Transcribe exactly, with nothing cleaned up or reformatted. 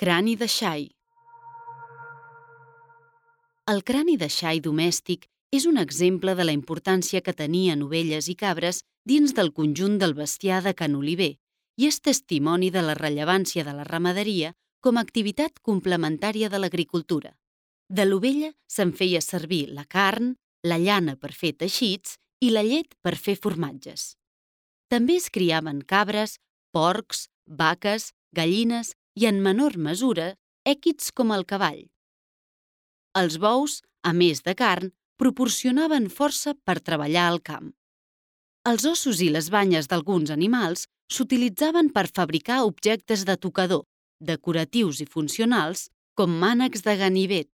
Crani de xai. El crani de xai domèstic és un exemple de la importància que tenien ovelles i cabres dins del conjunt del bestiar de Can Oliver i és testimoni de la rellevància de la ramaderia com a activitat complementària de l'agricultura. De l'ovella se'n feia servir la carn, la llana per fer teixits i la llet per fer formatges. També es criaven cabres, porcs, vaques, gallines i, en menor mesura, èquids com el cavall. Els bous, a més de carn, proporcionaven força per treballar al camp. Els ossos i les banyes d'alguns animals s'utilitzaven per fabricar objectes de tocador, decoratius i funcionals, com mànecs de ganivet,